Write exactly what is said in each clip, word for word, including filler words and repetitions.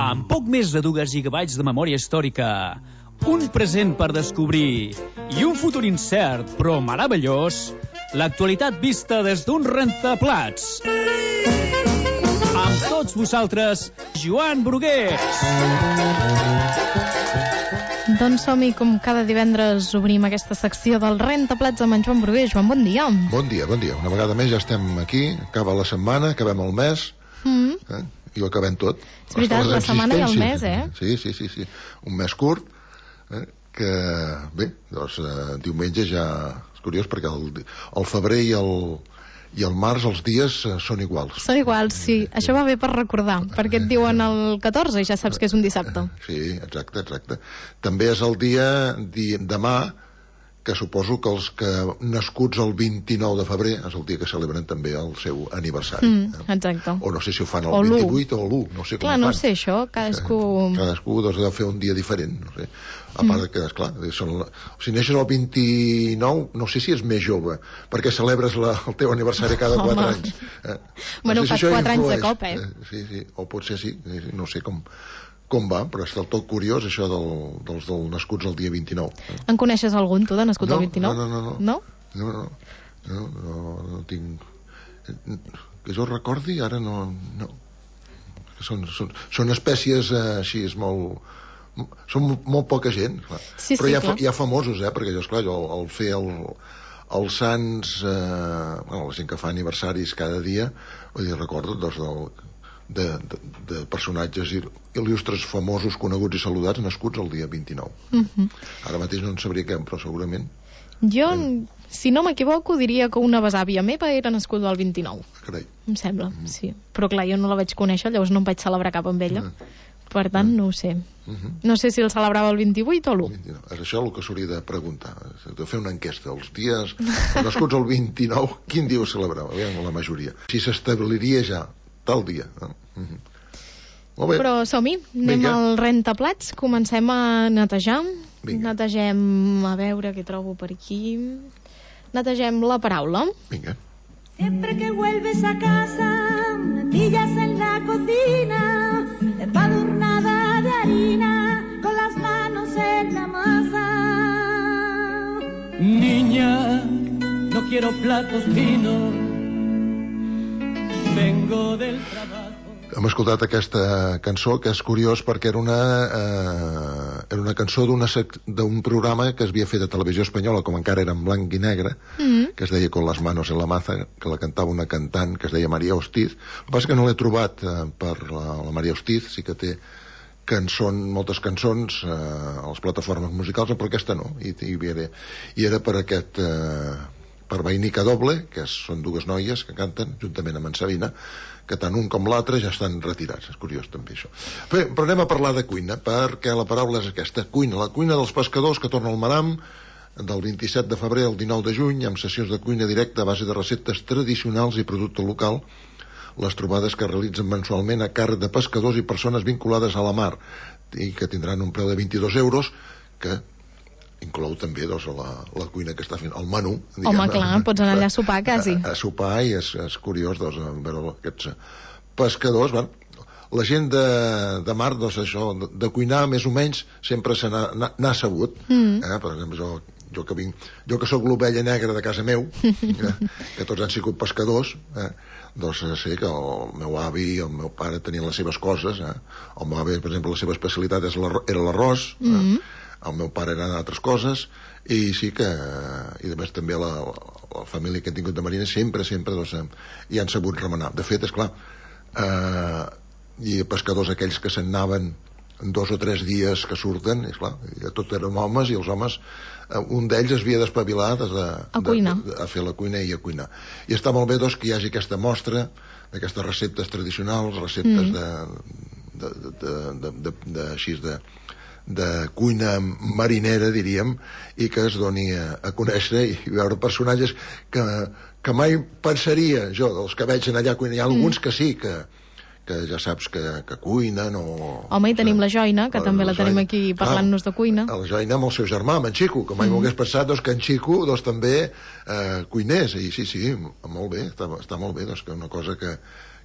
Amb poc més de dues gigabytes de memòria històrica, un present per descobrir i un futur incert però meravellós, l'actualitat vista des d'un rentaplats. Amb tots vosaltres, Joan Brugués. Doncs som-hi, com cada divendres obrim aquesta secció del Rentaplats amb en Joan Brugués. Joan, bon dia. Bon dia, bon dia. Una vegada més ja estem aquí, acaba la setmana, acabem el mes, mm. eh? i ho acabem tot. És veritat, la setmana i el mes, eh? Sí, sí, sí, sí. Un mes curt, eh? que, bé, doncs, eh, diumenge ja... És curiós perquè el, el febrer i el... i el març els dies uh, són iguals. Són iguals, sí. Eh, Això va bé per recordar, perquè et diuen el catorze i ja saps que és un dissabte. Sí, exacte, exacte. També és el dia di, demà, que suposo que els que nascuts el vint-i-nou de febrer és el dia que celebren també el seu aniversari. Mm, exacte. O no sé si ho fan el vint-i-vuit o l'u, no sé com clar, ho fan. no sé això, cadascú... Cadascú doncs, ha de fer un dia diferent, no sé. A part mm. que, esclar, són, si neixes el vint-i-nou, no sé si és més jove, perquè celebres la, el teu aniversari cada quatre Home. anys. Eh? No bueno, sé fas si quatre anys de cop, eh? eh? Sí, sí, o potser sí, no sé com... com va, però és del tot curiós això del, dels del nascuts el dia vint-i-nou. En coneixes algun, tu, de nascut no, el vint-i-nou? No, no, no. No? No, no, no, no, no tinc... Que jo recordi, ara no... no. Són, són, són espècies eh, així, és molt... Són molt poca gent, clar. Sí, però sí, hi ha, clar. hi ha famosos, eh, perquè jo, esclar, jo el fer el, els sants, eh, bueno, la gent que fa aniversaris cada dia, vull dir, recordo, doncs, del... De, de, de personatges il·lustres, famosos, coneguts i saludats nascuts el dia vint-i-nou. Mm-hmm. Ara mateix no en sabria què, però segurament jo, eh... si no m'equivoco, diria que una besàvia meva era nascuda el vint-i-nou. Carai. Em sembla, mm-hmm. sí. Però clar, jo no la vaig conèixer, llavors no em vaig celebrar cap amb ella. Mm-hmm. Per tant, no ho sé. Mm-hmm. No sé si el celebrava el vint-i-vuit o l'u. És això el que s'hauria de preguntar, de fer una enquesta. Els dies nascuts el vint-i-nou, quin dia ho celebrava? Aviam, la majoria. Si s'establiria ja tal dia. Mm-hmm. Molt bé. Però som-hi, anem Vinga. al rentaplats, comencem a netejar. Vinga. Netegem, a veure què trobo per aquí. Netegem la paraula. Vinga. Siempre que vuelves a casa, me pillas en la cocina, empadurnada de harina, con las manos en la masa. Niña, no quiero platos finos, vengo del trabajo. Hem escoltat aquesta cançó, que és curiós perquè era una, eh, era una cançó d'un programa que es havia fet a Televisió Espanyola, com encara era en blanc i negre, mm. que es deia Con las manos en la maza, que la cantava una cantant que es deia Maria Hostiz. El que passa és que no l'he trobat eh, per la, la Maria Hostiz, sí que té cançons, moltes cançons eh, a les plataformes musicals, però aquesta no, i, i, era, i era per aquest... Eh, per Vainica Doble, que són dues noies que canten juntament amb en Sabina, que tant un com l'altre ja estan retirats. És curiós també això. Bé, però anem a parlar de cuina, perquè la paraula és aquesta, cuina. La cuina dels pescadors que torna al Maram del vint-i-set de febrer al dinou de juny, amb sessions de cuina directa a base de receptes tradicionals i producte local. Les trobades que realitzen mensualment a càrrec de pescadors i persones vinculades a la mar, i que tindran un preu de vint-i-dos euros, que inclou també doncs, la, la cuina que està fent el menú, diguem. Home, clar, pots anar allà a sopar quasi a, a sopar, i és, és curiós doncs, veure aquests pescadors. Bueno, la gent de, de mar, doncs, això, de, de cuinar més o menys sempre se n'ha sabut. mm. eh? Per exemple, jo, jo que vinc jo que sóc l'ovella negra de casa meu, eh? que tots han sigut pescadors, eh? doncs sé que el meu avi i el meu pare tenien les seves coses, eh? El meu avi, per exemple, la seva especialitat és era l'arròs, eh? mm. el meu pare eren altres coses, i sí que, i a més també la, la família que he tingut de marina sempre, sempre doncs, hi han sabut remenar. De fet, és clar, eh, i pescadors aquells que se'n anaven dos o tres dies que surten, és clar, tot eren homes, i els homes, eh, un d'ells es havia d'espavilar de, de, a, de, de, a fer la cuina i a cuinar. I està molt bé doncs, que hi hagi aquesta mostra d'aquestes receptes tradicionals, receptes mm. de, de, de, de, de, de, de, així de de cuina marinera, diríem, i que es doni a, a conèixer i veure personatges que, que mai pensaria jo, dels que veig allà cuinar. Hi ha alguns mm. que sí, que, que ja saps que, que cuinen o... Home, i tenim la Joina, que la, també la, la tenim aquí parlant-nos de cuina. La Joina amb el seu germà, amb en Xico, que mai mm. m'ho hagués pensat doncs, que en Xico doncs, també eh, cuinés, i sí, sí, molt bé, està, està molt bé, doncs, que una cosa que,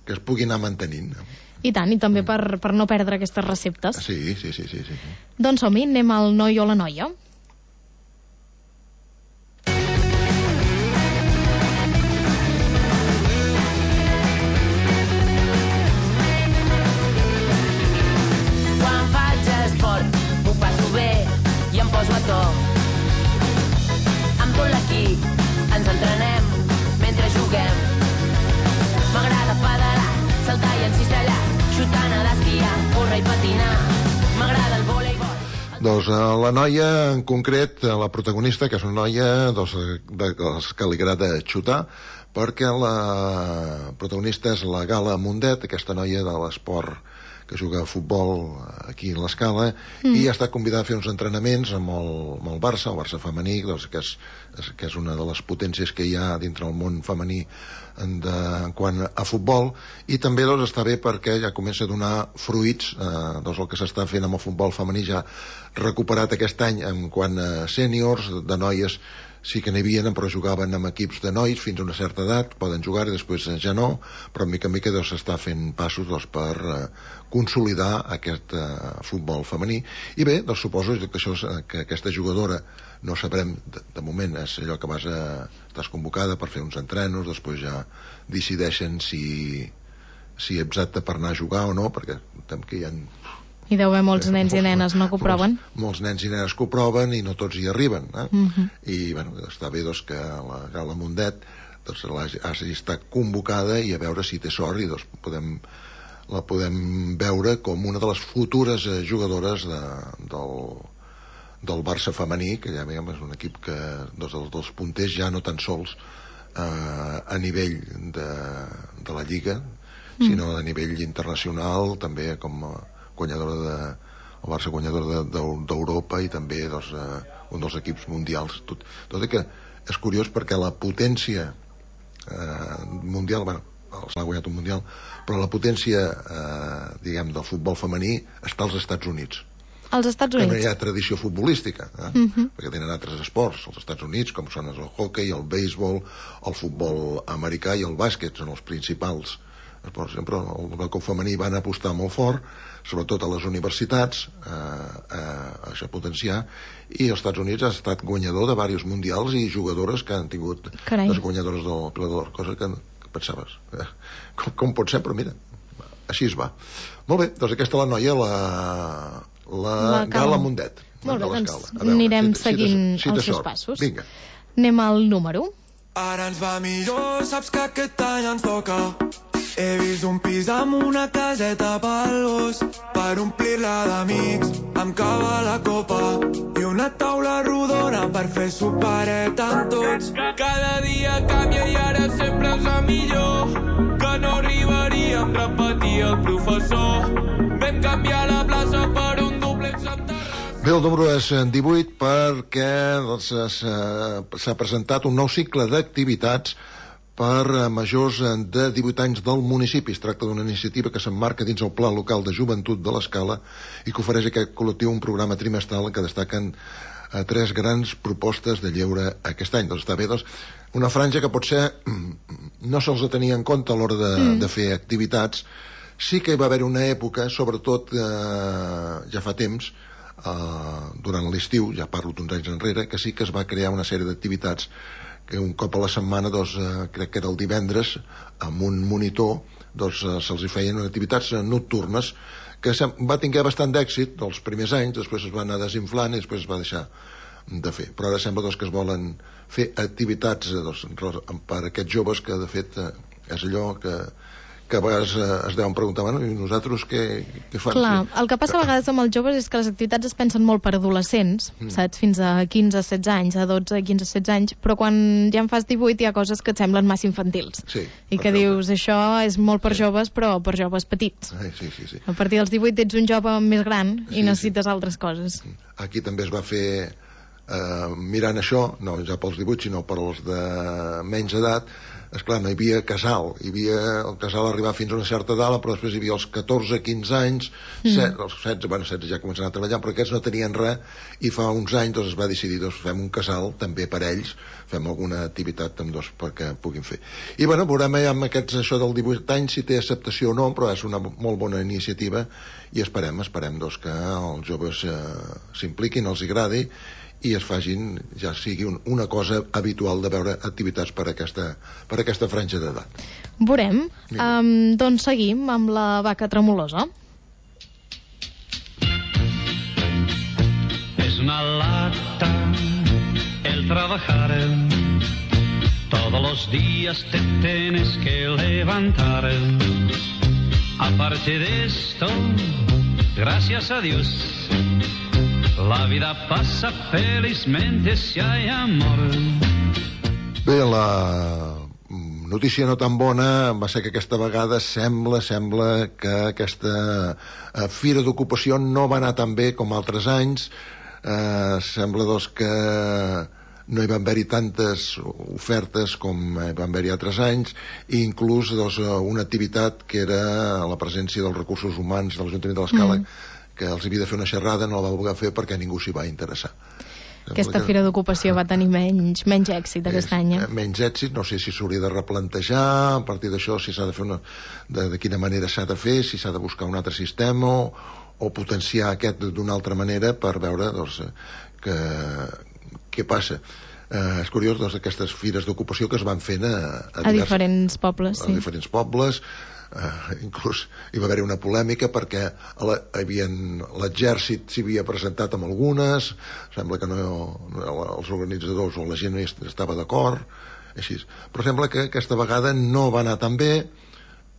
que es pugui anar mantenint. I tant, i també per, per no perdre aquestes receptes. Sí, sí, sí, sí, sí. Doncs som-hi, anem al noi o la noia. Quan faig esport m'ho passo bé i em poso a to. Amb tot l'equip ens entrenem mentre juguem. M'agrada pedalar, saltar i encistellar, xutant a l'esquiar, córrer i patinar. M'agrada el voleibol. Doncs la noia, en concret, la protagonista, que és una noia doncs, de les que li agrada xutar, perquè la protagonista és la Gala Mundet, aquesta noia de l'esport que juga a futbol aquí a l'Escala, mm. i ha estat convidada a fer uns entrenaments amb el, amb el Barça, el Barça femení, doncs, que, és, que és una de les potències que hi ha dintre el món femení en, de, en quant a futbol, i també doncs, està bé perquè ja comença a donar fruits, eh, doncs, el que s'està fent amb el futbol femení ja recuperat aquest any en quant a sèniors, de noies sí que n'hi havia, però jugaven amb equips de nois fins a una certa edat, poden jugar i després ja no, però mica en mica s'està doncs, fent passos doncs, per eh, consolidar aquest eh, futbol femení. I bé, doncs, suposo que, això, que aquesta jugadora, no sabrem, de, de moment és allò que vas a, estàs convocada per fer uns entrenos, després ja decideixen si, si ets apte per anar a jugar o no, perquè tem que hi ha... Hi deu haver molts nens i nenes, no, que ho proven? Molts, molts nens i nenes que ho proven i no tots hi arriben. Eh? Uh-huh. I bueno, està bé doncs, que la Gala Mundet doncs, hagi estat convocada i a veure si té sort i doncs, podem, la podem veure com una de les futures eh, jugadores de, del, del Barça femení, que ja veiem, és un equip que doncs, dels, dels punters ja no tan sols eh, a nivell de, de la Lliga, mm. sinó a nivell internacional, també com a guanyadora de, el Barça guanyador d'Europa de, de, i també doncs, eh, un dels equips mundials. Tot, tot i que és curiós perquè la potència eh, mundial, bueno, els ha guanyat un mundial, però la potència eh, diguem, del futbol femení està als Estats Units. Als Estats Units? Que no hi ha tradició futbolística, eh? uh-huh. perquè tenen altres esports als Estats Units, com són el hoquei, el béisbol, el futbol americà i el bàsquet, són els principals esports. Però el cop femení van apostar molt fort, sobretot a les universitats, eh, eh, a això potenciar, i els Estats Units ha estat guanyador de diversos mundials i jugadores que han tingut Carai. les guanyadores del Pilar d'Or, cosa que, que pensaves eh, com, com pot ser, però mira, així es va. Molt bé, doncs aquesta és la noia, la, la, la Gala Mundet. Molt bé, doncs veure, anirem si, seguint si te, si te els seus passos. Vinga. Anem al número. Ara ens va millor, saps que aquest any ens toca. He vist un pis amb una caseta pel gos, per omplir-la d'amics, amb cava a la copa, i una taula rodona per fer sopareta amb tots. Cada dia canvia i ara sempre és el millor, que no arribaríem a repetir el professor. Vam canviar la plaça per un duplex amb terrassa. Bé, el número és divuit perquè doncs, s'ha presentat un nou cicle d'activitats per majors de divuit anys del municipi. Es tracta d'una iniciativa que s'emmarca dins el Pla Local de Joventut de l'Escala i que ofereix a aquest col·lectiu un programa trimestral en què destaquen eh, tres grans propostes de lleure aquest any. Doncs està bé, doncs, una franja que potser no se'ls tenia en compte a l'hora de, mm. de fer activitats. Sí que hi va haver una època, sobretot eh, ja fa temps, eh, durant l'estiu, ja parlo d'uns anys enrere, que sí que es va crear una sèrie d'activitats que un cop a la setmana, doncs, eh, crec que era el divendres, amb un monitor, doncs, eh, se'ls hi feien activitats eh, nocturnes, que va tenir bastant d'èxit els primers anys, després es va anar desinflant i després es va deixar de fer. Però ara sembla doncs, que es volen fer activitats eh, doncs, per a aquests joves que, de fet, eh, és allò que, que a vegades eh, es deuen preguntar, bueno, i nosaltres què, què fan? Clar, el que passa a vegades amb els joves és que les activitats es pensen molt per adolescents, mm. saps? Fins a quinze a setze anys, a dotze, quinze, setze anys, però quan ja en fas divuit hi ha coses que et semblen massa infantils. Sí, I que dius, això és molt per sí. joves, però per joves petits. Sí, sí, sí, sí. A partir dels divuit ets un jove més gran i sí, necessites sí. altres coses. Aquí també es va fer eh, mirant això, no ja pels divuit sinó per als de menys edat, esclar, no hi havia casal, hi havia el casal arribar fins a una certa edat, però després hi havia els catorze quinze anys, mm. set, els setze, bueno, setze ja començaven a treballar, però aquests no tenien res, i fa uns anys doncs, es va decidir, doncs, fem un casal també per ells, fem alguna activitat amb dos perquè puguin fer. I bueno, veurem ja amb aquests, això del divuit anys si té acceptació o no, però és una molt bona iniciativa i esperem, esperem doncs, que els joves eh, s'impliquin, els agradi i es facin, ja sigui un, una cosa habitual de veure activitats per aquesta, per aquesta franja d'edat. Veurem. Um, doncs seguim amb la vaca tremolosa. Es una lata el trabajar, todos los días te tienes que levantar. Aparte de esto, gracias a Dios, la vida passa felizmente si hay amor. Bé, la notícia no tan bona va ser que aquesta vegada sembla, sembla que aquesta eh, fira d'ocupació no va anar tan bé com altres anys. Eh, sembla doncs que no hi van haver-hi tantes ofertes com hi van haver-hi altres anys, i inclús doncs, una activitat que era la presència dels recursos humans de l'Ajuntament de l'Escala, mm. que els havia de fer una xerrada, no la va voler fer perquè ningú s'hi va interessar. Aquesta que... fira d'ocupació va tenir menys, menys èxit aquest any. Eh? Menys èxit, no sé si s'hauria de replantejar, a partir d'això si s'ha de fer una... de, de quina manera s'ha de fer, si s'ha de buscar un altre sistema o, o potenciar aquest d'una altra manera per veure doncs, que, què passa. Eh, és curiós, doncs, aquestes fires d'ocupació que es van fent a, a, a diferents pobles, a sí. diferents pobles. Uh, inclús hi va haver una polèmica perquè l'exèrcit s'hi havia presentat amb algunes, sembla que no, no els organitzadors o la gent no estava d'acord, així. Però sembla que aquesta vegada no va anar tan bé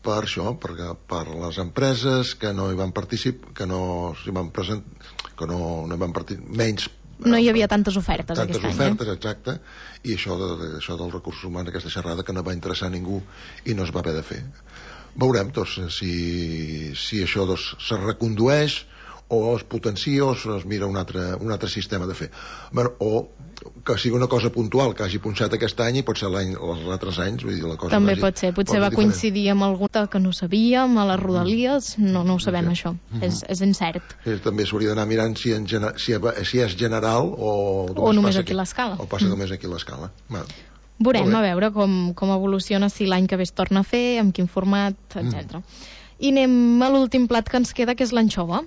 per això, perquè per les empreses que no hi van participar, que no s'hi van presentar, que no, no hi van participar, menys no hi havia tantes ofertes tantes aquest ofertes, any, eh? exacte, i això, de, això dels recursos humans, aquesta xerrada que no va interessar a ningú i no es va haver de fer. Veurem doncs, si, si això doncs, se recondueix o es potencia o es mira un altre, un altre sistema de fer. Bueno, o que sigui una cosa puntual que hagi punxat aquest any i pot ser l'any, els altres anys, vull dir, la cosa també vagi, pot ser, potser va diferent. Coincidir amb alguna que no sabíem, a les rodalies, no, no ho sabem, sí. Això, mm-hmm. és, és incert. Sí, també s'hauria d'anar mirant si, en gener, si, si és general o, o només aquí a l'Escala. O passa mm. només aquí a l'Escala. Bueno. Veurem a veure com, com evoluciona, si l'any que ve es torna a fer, amb quin format, etcètera. Mm. I anem a l'últim plat que ens queda, que és l'anxova.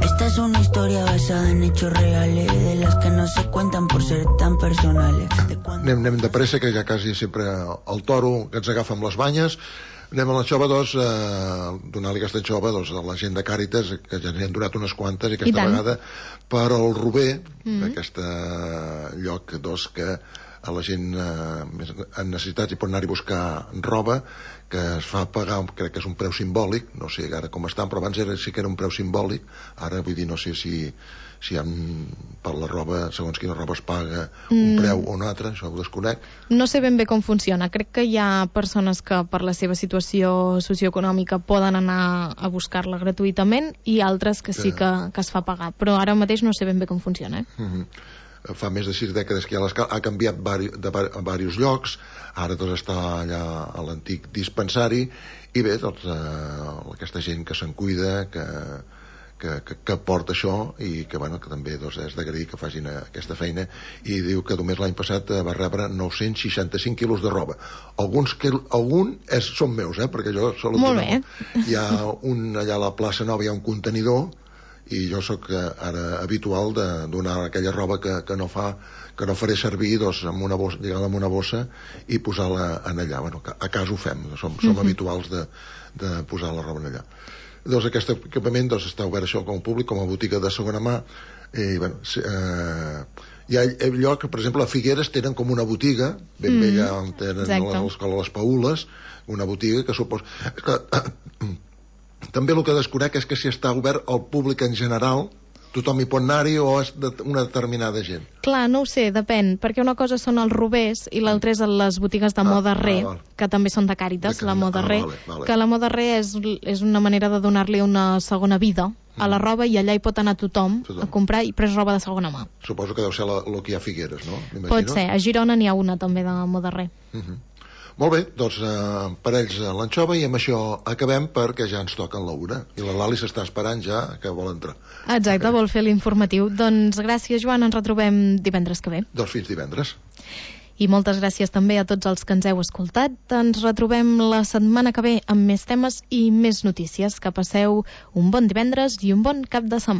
Esta es una historia basada en hechos reales, de las que no se cuentan por ser tan personales. Anem, anem de pressa, que ja quasi sempre el toro que ens agafa amb les banyes. Anem a l'anxova, doncs, eh, donar-li aquesta anxova doncs, a la gent de Càritas, que ja n'hi han donat unes quantes, i aquesta I vegada per al Rober, mm-hmm. aquest lloc doncs, que a la gent eh, en necessitats hi pot anar-hi a buscar roba, que es fa pagar, crec que és un preu simbòlic, no sé ara com estan, però abans era, sí que era un preu simbòlic, ara vull dir, no sé si, si han, per la roba, segons quina roba es paga un mm. preu o un altre, això ho desconec. No sé ben bé com funciona, crec que hi ha persones que per la seva situació socioeconòmica poden anar a buscar-la gratuïtament i altres que sí que, que es fa pagar, però ara mateix no sé ben bé com funciona. Eh? Mm-hmm. Fa més de sis dècades que hi ha l'Escala, ha canviat vari, de vari, a diversos llocs, ara doncs està allà a l'antic dispensari, i bé, doncs eh, aquesta gent que se'n cuida, que, que, que, que porta això, i que, bueno, que també doncs, és d'agrair que facin aquesta feina, i diu que només l'any passat va rebre nou-cents seixanta-cinc quilos de roba. Alguns que, algun és, són meus, eh, perquè jo solo molt bé. Hi ha un, allà a la plaça Nova hi ha un contenidor, i jo sóc ara habitual de donar aquella roba que, que no fa que no faré servir doncs, amb una bossa, lligar-la amb una bossa i posar-la en allà. Bueno, a casa ho fem, som, som mm-hmm. habituals de, de posar la roba en allà. Doncs aquest equipament doncs, està obert això com a públic, com a botiga de segona mà, i bueno, eh, hi ha lloc, per exemple, a Figueres tenen com una botiga, ben mm, bé allà on tenen l'escola Les Paules, una botiga que suposa... Que, també el que desconec és que si està obert al públic en general tothom hi pot anar-hi o és de una determinada gent? Clar, no ho sé, depèn, perquè una cosa són els rovers i l'altra és les botigues de Ah, moda re, ah, val. que també són de Càritas, De la Càritas, moda ah, re, vale, vale. que la moda re és, és una manera de donar-li una segona vida a la roba i allà hi pot anar tothom, Tothom. a comprar i pres roba de segona mà. Suposo que deu ser el que hi ha a Figueres, no? M'imagino. Pot ser, a Girona n'hi ha una també de moda re. Uh -huh. Molt bé, doncs eh, per ells eh, l'anxova, i amb això acabem perquè ja ens toquen la una i la Lali s'està esperant ja que vol entrar. Exacte, vol fer l'informatiu. Doncs gràcies, Joan, ens retrobem divendres que ve. Doncs fins divendres. I moltes gràcies també a tots els que ens heu escoltat. Ens retrobem la setmana que ve amb més temes i més notícies. Que passeu un bon divendres i un bon cap de setmana.